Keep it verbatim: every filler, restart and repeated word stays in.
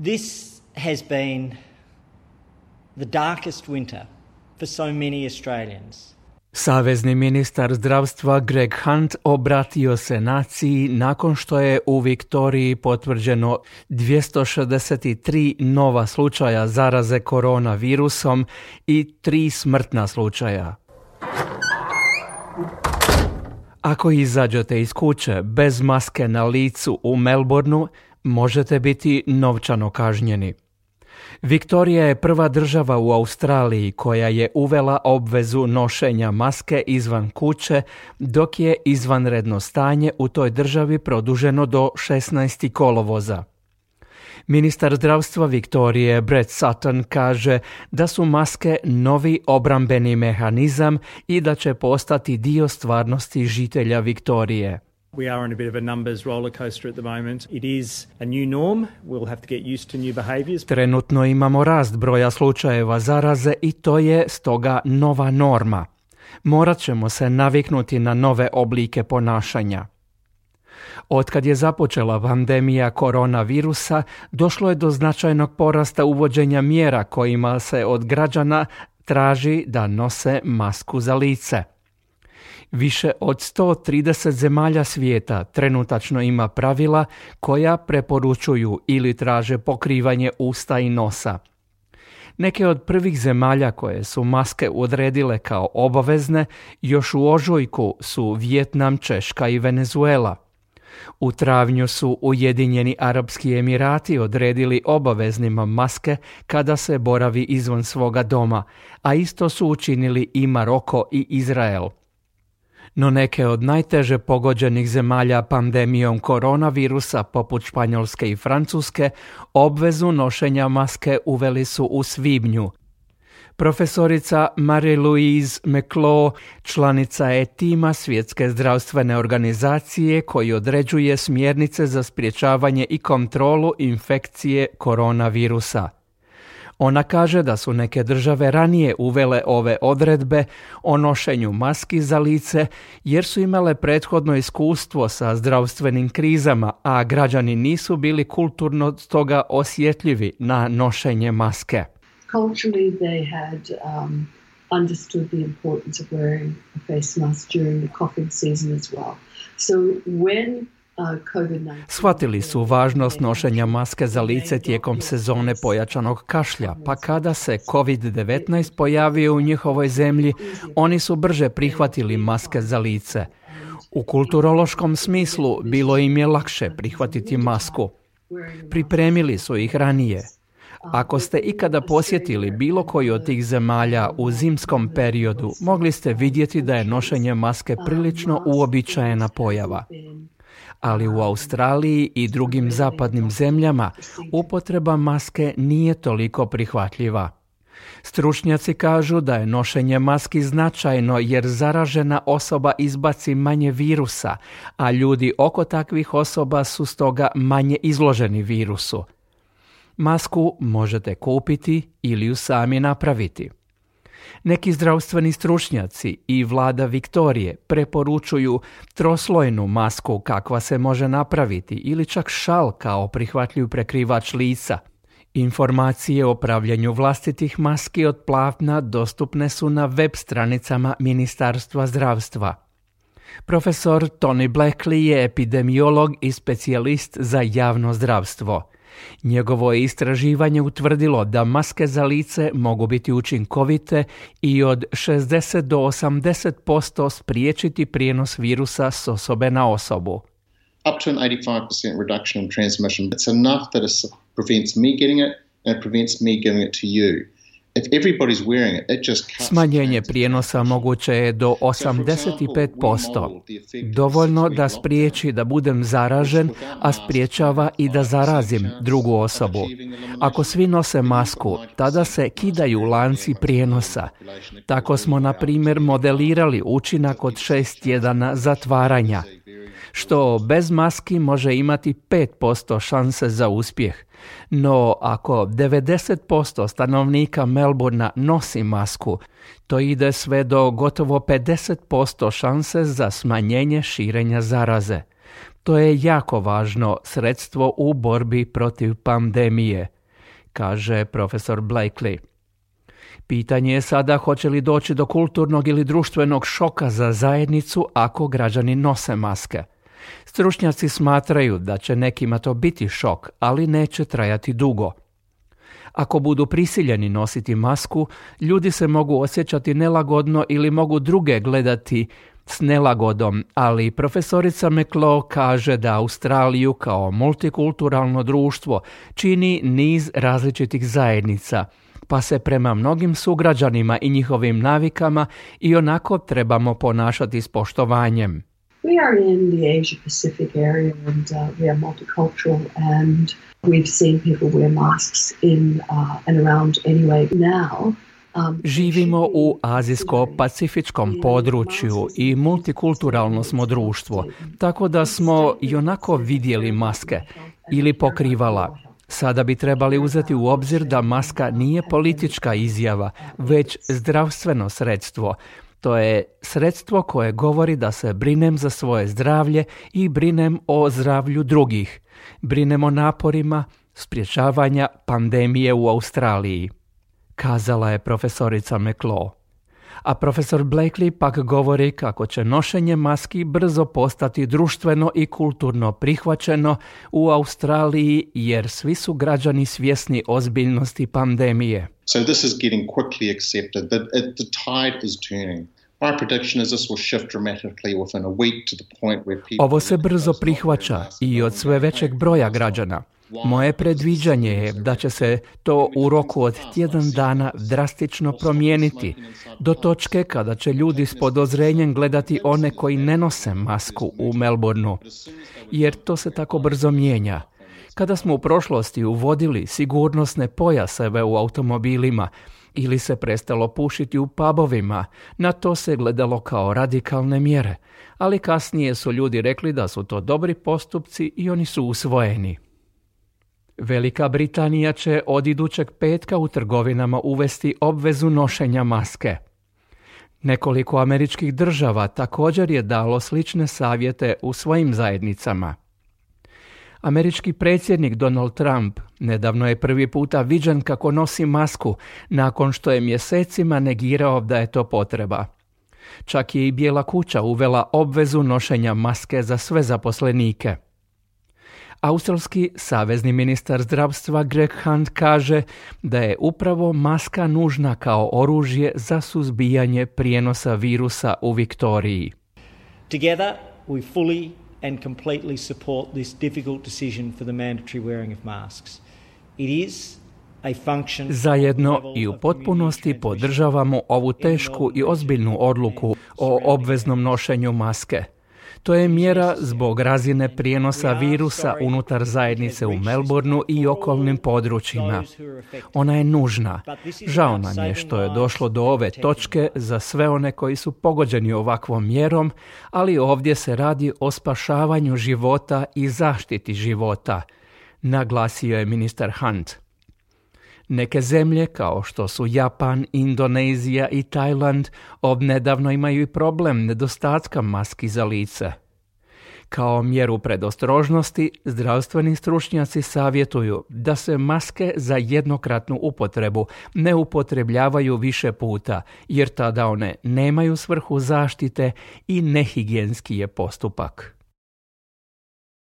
This has been the darkest winter for so many Australians. Savezni ministar zdravstva Greg Hunt obratio se naciji nakon što je u Viktoriji potvrđeno dvjesto šezdeset tri nova slučaja zaraze koronavirusom i tri smrtna slučaja. Ako izađete iz kuće bez maske na licu u Melbourneu, možete biti novčano kažnjeni. Viktorija je prva država u Australiji koja je uvela obvezu nošenja maske izvan kuće, dok je izvanredno stanje u toj državi produženo do šesnaestog kolovoza. Ministar zdravstva Viktorije Brett Sutton kaže da su maske novi obrambeni mehanizam i da će postati dio stvarnosti žitelja Viktorije. We are on a bit of a numbers roller coaster at the moment. It is a new norm. We'll have to get used to new behaviors. Trenutno imamo rast broja slučajeva zaraze i to je stoga nova norma. Morat ćemo se naviknuti na nove oblike ponašanja. Otkad je započela pandemija koronavirusa, došlo je do značajnog porasta uvođenja mjera kojima se od građana traži da nose masku za lice. Više od sto trideset zemalja svijeta trenutačno ima pravila koja preporučuju ili traže pokrivanje usta i nosa. Neke od prvih zemalja koje su maske odredile kao obavezne još u ožujku su Vijetnam, Češka i Venezuela. U travnju su Ujedinjeni Arapski Emirati odredili obaveznima maske kada se boravi izvan svoga doma, a isto su učinili i Maroko i Izrael. No neke od najteže pogođenih zemalja pandemijom koronavirusa, poput Španjolske i Francuske, obvezu nošenja maske uveli su u svibnju. Profesorica Marie-Louise McClaw, članica je tima Svjetske zdravstvene organizacije koji određuje smjernice za sprječavanje i kontrolu infekcije koronavirusa. Ona kaže da su neke države ranije uvele ove odredbe o nošenju maski za lice jer su imale prethodno iskustvo sa zdravstvenim krizama, a građani nisu bili kulturno stoga osjetljivi na nošenje maske. Culturally they had um, understood the importance of wearing a face mask during the coughing season as well. So when Shvatili su važnost nošenja maske za lice tijekom sezone pojačanog kašlja, pa kada se kovid devetnaest pojavio u njihovoj zemlji, oni su brže prihvatili maske za lice. U kulturološkom smislu bilo im je lakše prihvatiti masku. Pripremili su ih ranije. Ako ste ikada posjetili bilo koju od tih zemalja u zimskom periodu, mogli ste vidjeti da je nošenje maske prilično uobičajena pojava. Ali u Australiji i drugim zapadnim zemljama upotreba maske nije toliko prihvatljiva. Stručnjaci kažu da je nošenje maski značajno jer zaražena osoba izbaci manje virusa, a ljudi oko takvih osoba su stoga manje izloženi virusu. Masku možete kupiti ili ju sami napraviti. Neki zdravstveni stručnjaci i vlada Viktorije preporučuju troslojnu masku kakva se može napraviti ili čak šal kao prihvatljiv prekrivač lica. Informacije o pravljenju vlastitih maski od platna dostupne su na web stranicama Ministarstva zdravstva. Profesor Tony Blackley je epidemiolog i specijalist za javno zdravstvo. Njegovo je istraživanje utvrdilo da maske za lice mogu biti učinkovite i od šezdeset do osamdeset posto spriječiti prijenos virusa s osobe na osobu. Up to an eighty-five percent reduction in transmission. It's enough that it prevents me getting it and it prevents me giving it to you. If everybody's wearing it, it just cuts. Smanjenje prijenosa moguće je do osamdeset pet posto. Dovoljno da spriječi da budem zaražen, a spriječava i da zarazim drugu osobu. Ako svi nose masku, tada se kidaju lanci prijenosa. Tako smo, na primjer, modelirali učinak od šest tjedana zatvaranja, što bez maski može imati pet posto šanse za uspjeh. No, ako devedeset posto stanovnika Melbournea nosi masku, to ide sve do gotovo pedeset posto šanse za smanjenje širenja zaraze. To je jako važno sredstvo u borbi protiv pandemije, kaže profesor Blakely. Pitanje je sada hoće li doći do kulturnog ili društvenog šoka za zajednicu ako građani nose maske. Stručnjaci smatraju da će nekima to biti šok, ali neće trajati dugo. Ako budu prisiljeni nositi masku, ljudi se mogu osjećati nelagodno ili mogu druge gledati s nelagodom, ali profesorica McLaugh kaže da Australiju kao multikulturalno društvo čini niz različitih zajednica, pa se prema mnogim sugrađanima i njihovim navikama i onako trebamo ponašati s poštovanjem. We are in the Asia Pacific area and uh, we are multicultural and we've seen people wear masks in uh, and around anyway now. Um, Živimo u azijsko-pacifičkom području i multikulturalno smo društvo, tako da smo i onako vidjeli maske ili pokrivala. Sada bi trebali uzeti u obzir da maska nije politička izjava, već zdravstveno sredstvo. To je sredstvo koje govori da se brinem za svoje zdravlje i brinem o zdravlju drugih. Brinem o naporima sprječavanja pandemije u Australiji, kazala je profesorica McLaugh. A profesor Blakely pak govori kako će nošenje maski brzo postati društveno i kulturno prihvaćeno u Australiji jer svi su građani svjesni ozbiljnosti pandemije. So this is getting quickly accepted. The, it, the tide is turning. My prediction is this will shift dramatically within a week to the point where people... Ovo se brzo prihvaća i od sve većeg broja građana. Moje predviđanje je da će se to u roku od tjedan dana drastično promijeniti, do točke kada će ljudi s podozrenjem gledati one koji ne nose masku u Melbourneu, jer to se tako brzo mijenja. Kada smo u prošlosti uvodili sigurnosne pojaseve u automobilima ili se prestalo pušiti u pubovima, na to se gledalo kao radikalne mjere, ali kasnije su ljudi rekli da su to dobri postupci i oni su usvojeni. Velika Britanija će od idućeg petka u trgovinama uvesti obvezu nošenja maske. Nekoliko američkih država također je dalo slične savjete u svojim zajednicama. Američki predsjednik Donald Trump nedavno je prvi puta viđen kako nosi masku nakon što je mjesecima negirao da je to potreba. Čak je i Bijela kuća uvela obvezu nošenja maske za sve zaposlenike. Australski savezni ministar zdravstva Greg Hunt kaže da je upravo maska nužna kao oružje za suzbijanje prijenosa virusa u Viktoriji. Together we fully and completely support this difficult decision for the mandatory wearing of masks. It is a function... Zajedno i u potpunosti podržavamo ovu tešku i ozbiljnu odluku o obveznom nošenju maske. To je mjera zbog razine prijenosa virusa unutar zajednice u Melbourneu i okolnim područjima. Ona je nužna. Žao nam je što je došlo do ove točke za sve one koji su pogođeni ovakvom mjerom, ali ovdje se radi o spašavanju života i zaštiti života, naglasio je ministar Hunt. Neke zemlje, kao što su Japan, Indonezija i Tajland, odnedavno imaju i problem nedostatka maski za lice. Kao mjeru predostrožnosti, zdravstveni stručnjaci savjetuju da se maske za jednokratnu upotrebu ne upotrebljavaju više puta, jer tada one nemaju svrhu zaštite i nehigijenski je postupak.